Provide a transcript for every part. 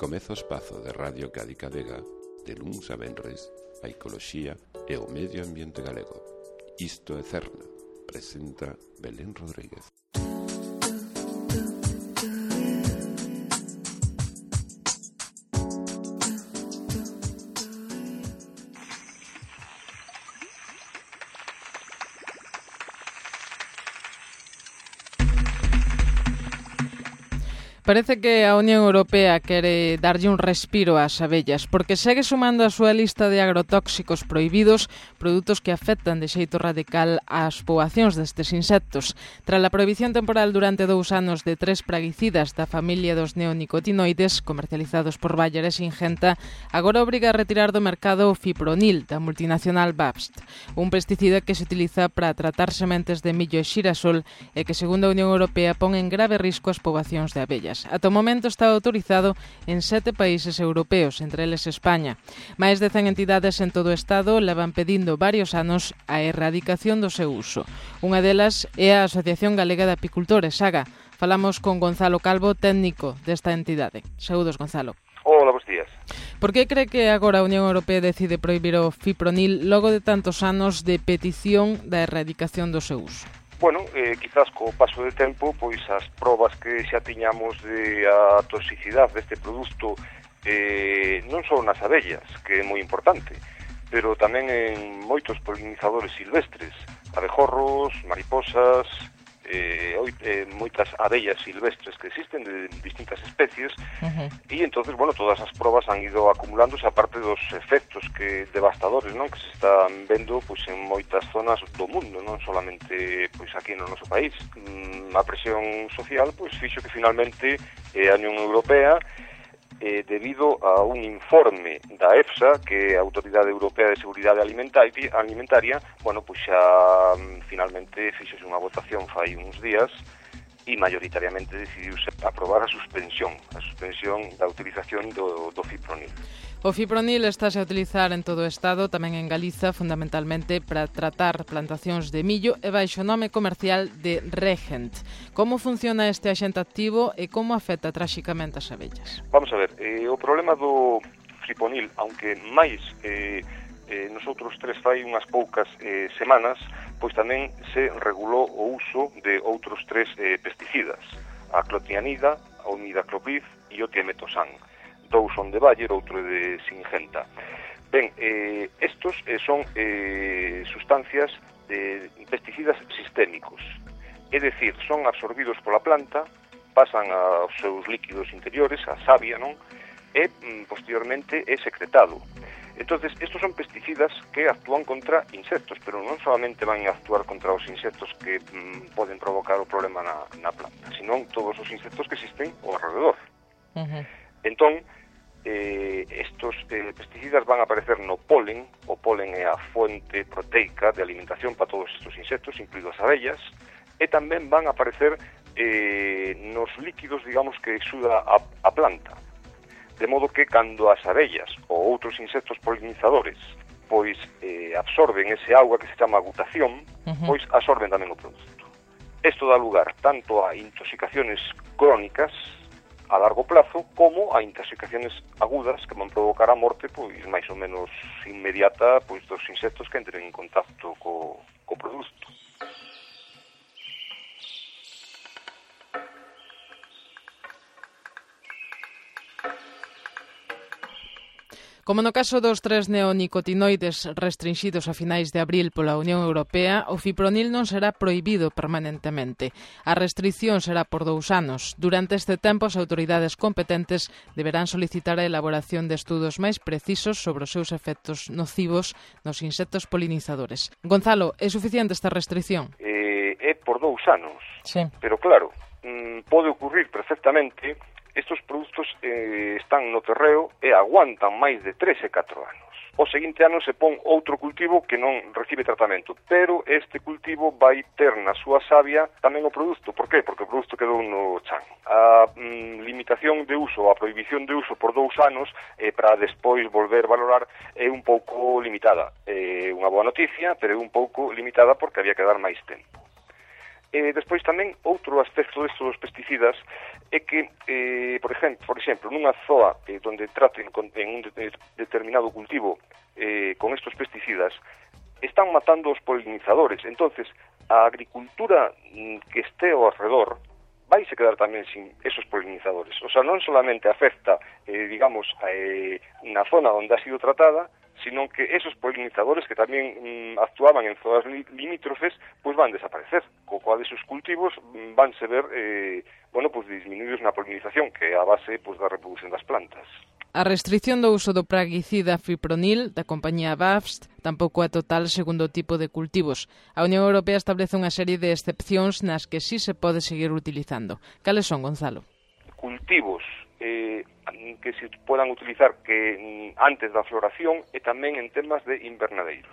Comeza o espazo de Radio Cádica Vega de luns a venres a ecoloxía e o medio ambiente galego. Isto é Cerna, presenta Belén Rodríguez. Parece que a Unión Europea quere darlle un respiro ás abellas, porque segue sumando a súa lista de agrotóxicos prohibidos produtos que afectan de xeito radical ás poboacións destes insectos. Tras a prohibición temporal durante 2 anos de 3 praguicidas da familia dos neonicotinoides comercializados por Bayer e Syngenta, agora obriga a retirar do mercado o fipronil da multinacional BASF, un pesticida que se utiliza para tratar sementes de millo e xirasol e que, segundo a Unión Europea, pon en grave risco as poboacións de abellas. Ata o momento está autorizado en 7 países europeos, entre eles España. Máis de 100 entidades en todo o Estado levan pedindo varios anos a erradicación do seu uso. Unha delas é a Asociación Galega de Apicultores, AGA. Falamos con Gonzalo Calvo, técnico desta entidade. Saúdos, Gonzalo. Hola, bons días. Por que cree que agora a Unión Europea decide prohibir o fipronil logo de tantos anos de petición da erradicación do seu uso? Bueno, quizás co paso de tempo, pois as probas que xa tiñamos de a toxicidade deste produto non só nas abellas, que é moi importante, pero tamén en moitos polinizadores silvestres, abejorros, mariposas, moitas abellas silvestres que existen de distintas especies, e entonces, bueno, todas as probas han ido acumulándose, aparte dos efectos que devastadores, non, que se están vendo pois en moitas zonas do mundo, non solamente pois aquí no noso país. A presión social pois fixo que finalmente a Unión Europea, debido a un informe da EFSA, que é a Autoridade Europea de Seguridade Alimentaria, bueno, pois xa finalmente fixose unha votación fai uns días e maioritariamente decidiuse aprobar a suspensión da utilización do fipronil. O fipronil estáse a utilizar en todo o Estado, tamén en Galiza, fundamentalmente para tratar plantacións de millo e baixo o nome comercial de Regent. Como funciona este axente activo e como afecta tráxicamente as abellas? Vamos a ver, o problema do fipronil, aunque máis nosotros fai unhas poucas semanas, pois tamén se regulou o uso de outros 3 pesticidas, a clotianida, a imidacloprid e o tiametosan. 2 son de Bayer, outro de Syngenta. Ben, estos son sustancias de pesticidas sistémicos, é dicir, son absorbidos pola planta, pasan aos seus líquidos interiores, a savia, non? E posteriormente é secretado. Entonces, estos son pesticidas que actúan contra insectos, pero non solamente van a actuar contra os insectos que poden provocar o problema na planta, senón todos os insectos que existen ao alrededor. Entón, estos pesticidas van a aparecer no polen. O polen é a fonte proteica de alimentación para todos estes insectos, incluídas as abellas, e tamén van a aparecer nos líquidos, digamos, que exuda a planta. De modo que cando as abellas ou outros insectos polinizadores pois absorben ese auga que se chama agutación, pois absorben tamén o produto. Isto dá lugar tanto a intoxicaciones crónicas a largo plazo como a intoxicaciones agudas que van provocar a morte pois máis ou menos inmediata pois dos insectos que entren en contacto co produto. Como no caso dos 3 neonicotinoides restringidos a finais de abril pola Unión Europea, o fipronil non será prohibido permanentemente. A restricción será por 2 anos. Durante este tempo, as autoridades competentes deberán solicitar a elaboración de estudos máis precisos sobre os seus efectos nocivos nos insectos polinizadores. Gonzalo, é suficiente esta restricción? É por 2 anos, sí. Pero claro, pode ocurrir perfectamente. Estos produtos están no terreo e aguantan máis de 3 e 4 anos. O seguinte ano se pon outro cultivo que non recibe tratamento, pero este cultivo vai ter na súa savia tamén o produto. Por qué? Porque o produto quedou no chan. A limitación de uso, a prohibición de uso por 2 anos para despois volver a valorar é un pouco limitada. É unha boa noticia, pero é un pouco limitada porque había que dar máis tempo. Despois tamén, outro aspecto desto dos pesticidas é que, por exemplo, nunha zoa onde traten en un determinado cultivo con estos pesticidas, están matando os polinizadores. Entonces, a agricultura que este ao alrededor vaise quedar tamén sin esos polinizadores. O sea, non solamente afecta, digamos, na zona onde ha sido tratada, sino que esos polinizadores que tamén actuaban en zonas limítrofes, pois van desaparecer, co cual esos cultivos vanse ver, disminuídos na polinización, que é a base da reproducción das plantas. A restrición do uso do praguicida fipronil da compañía BASF tampouco é total segundo o tipo de cultivos. A Unión Europea establece unha serie de excepcións nas que sí se pode seguir utilizando. Cales son, Gonzalo? Cultivos que se podan utilizar que antes da floración e tamén en temas de invernadeiros.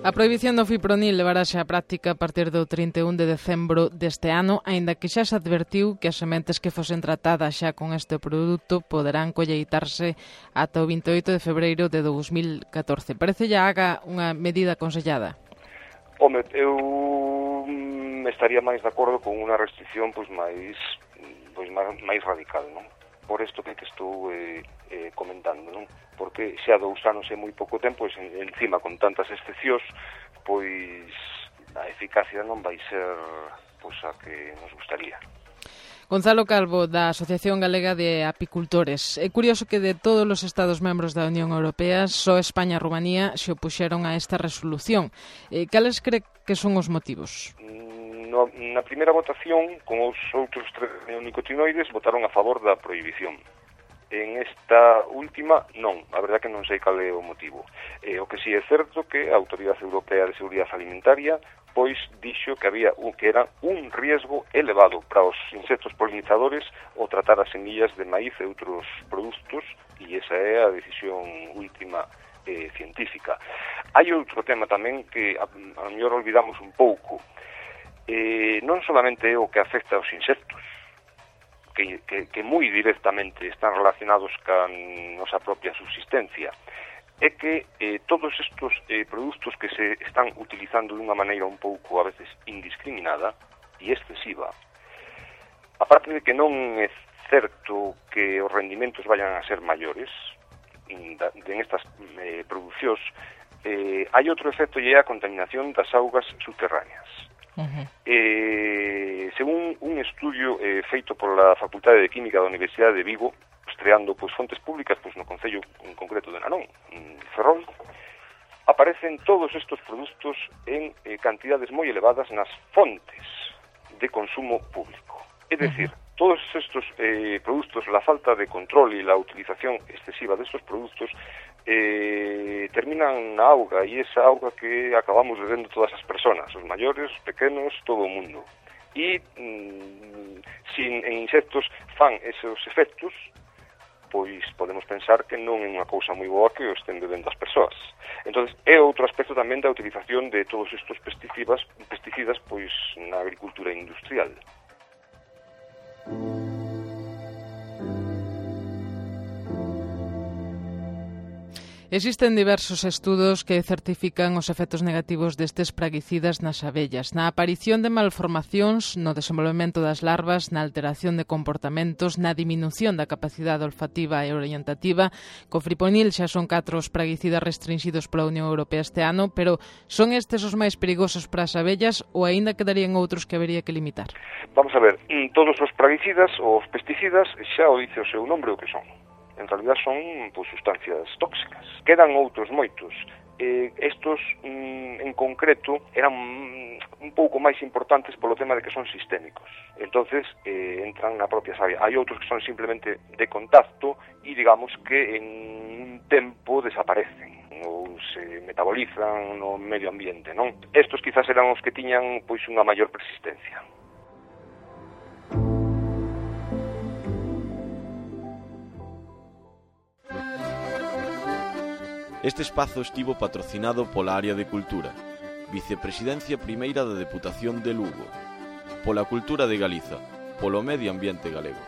A prohibición do fipronil levarase á práctica a partir do 31 de decembro deste ano, aínda que xa se advertiu que as sementes que fosen tratadas xa con este produto poderán colleitarse ata o 28 de febreiro de 2014. Parece ya haga unha medida aconsellada? Home, eu estaría máis de acordo con unha restricción máis radical, non? Por isto que estou comentando, non? Porque xa 2 anos é moi pouco tempo, encima con tantas excepcións, pois a eficacia non vai ser a que nos gustaría. Gonzalo Calvo, da Asociación Galega de Apicultores. É curioso que de todos os Estados membros da Unión Europea, só España e Rumanía se opuxeron a esta resolución. Cales cree que son os motivos? Na primeira votación, con os outros 3 neonicotinoides, votaron a favor da prohibición. En esta última, non. A verdade que non sei cal é o motivo. O que si é certo que a Autoridade Europea de Seguridade Alimentaria pois dixo que era un riesgo elevado para os insectos polinizadores o tratar as semillas de maíz e outros produtos, e esa é a decisión última científica. Hai outro tema tamén que a mellor olvidamos un pouco. Non solamente é o que afecta aos insectos, que moi directamente están relacionados ca nosa propia subsistencia, é que todos estes produtos que se están utilizando dunha maneira un pouco a veces indiscriminada e excesiva, aparte de que non é certo que os rendimentos vayan a ser maiores en estas producións, hai outro efecto e é a contaminación das augas subterráneas. Según un estudio feito pola Facultade de Química da Universidade de Vigo, estreando fontes públicas no concello en concreto de Narón, Ferrol, aparecen todos estes produtos en cantidades moi elevadas nas fontes de consumo público. É dicir, todos estes produtos, la falta de control e la utilización excesiva destes produtos terminan na auga, e esa auga que acabamos bebendo todas as persoas, os maiores, os pequenos, todo o mundo. E se en insectos fan esos efectos, pois podemos pensar que non é unha cousa moi boa que o estén bebendo as persoas. Entón, é outro aspecto tamén da utilización de todos estes pesticidas pois na agricultura industrial. Existen diversos estudos que certifican os efectos negativos destes praguicidas nas abellas, na aparición de malformacións, no desenvolvemento das larvas, na alteración de comportamentos, na diminución da capacidade olfativa e orientativa. Co fipronil xa son 4 os praguicidas restringidos pola Unión Europea este ano, pero son estes os máis perigosos para as abellas ou aínda quedarían outros que habería que limitar? Vamos a ver, todos os praguicidas, os pesticidas, xa o dice o seu nombre o que son. En realidad son sustancias tóxicas. Quedan outros moitos. Estos, en concreto, eran un pouco máis importantes polo tema de que son sistémicos. Entonces, entran na propia savia. Hai outros que son simplemente de contacto e, digamos, que en un tempo desaparecen ou se metabolizan no medio ambiente, non? Estos quizás eran os que tiñan unha maior persistencia. Este espazo estivo patrocinado pola Área de Cultura, Vicepresidencia Primeira da Deputación de Lugo, pola Cultura de Galiza, polo Medio Ambiente Galego.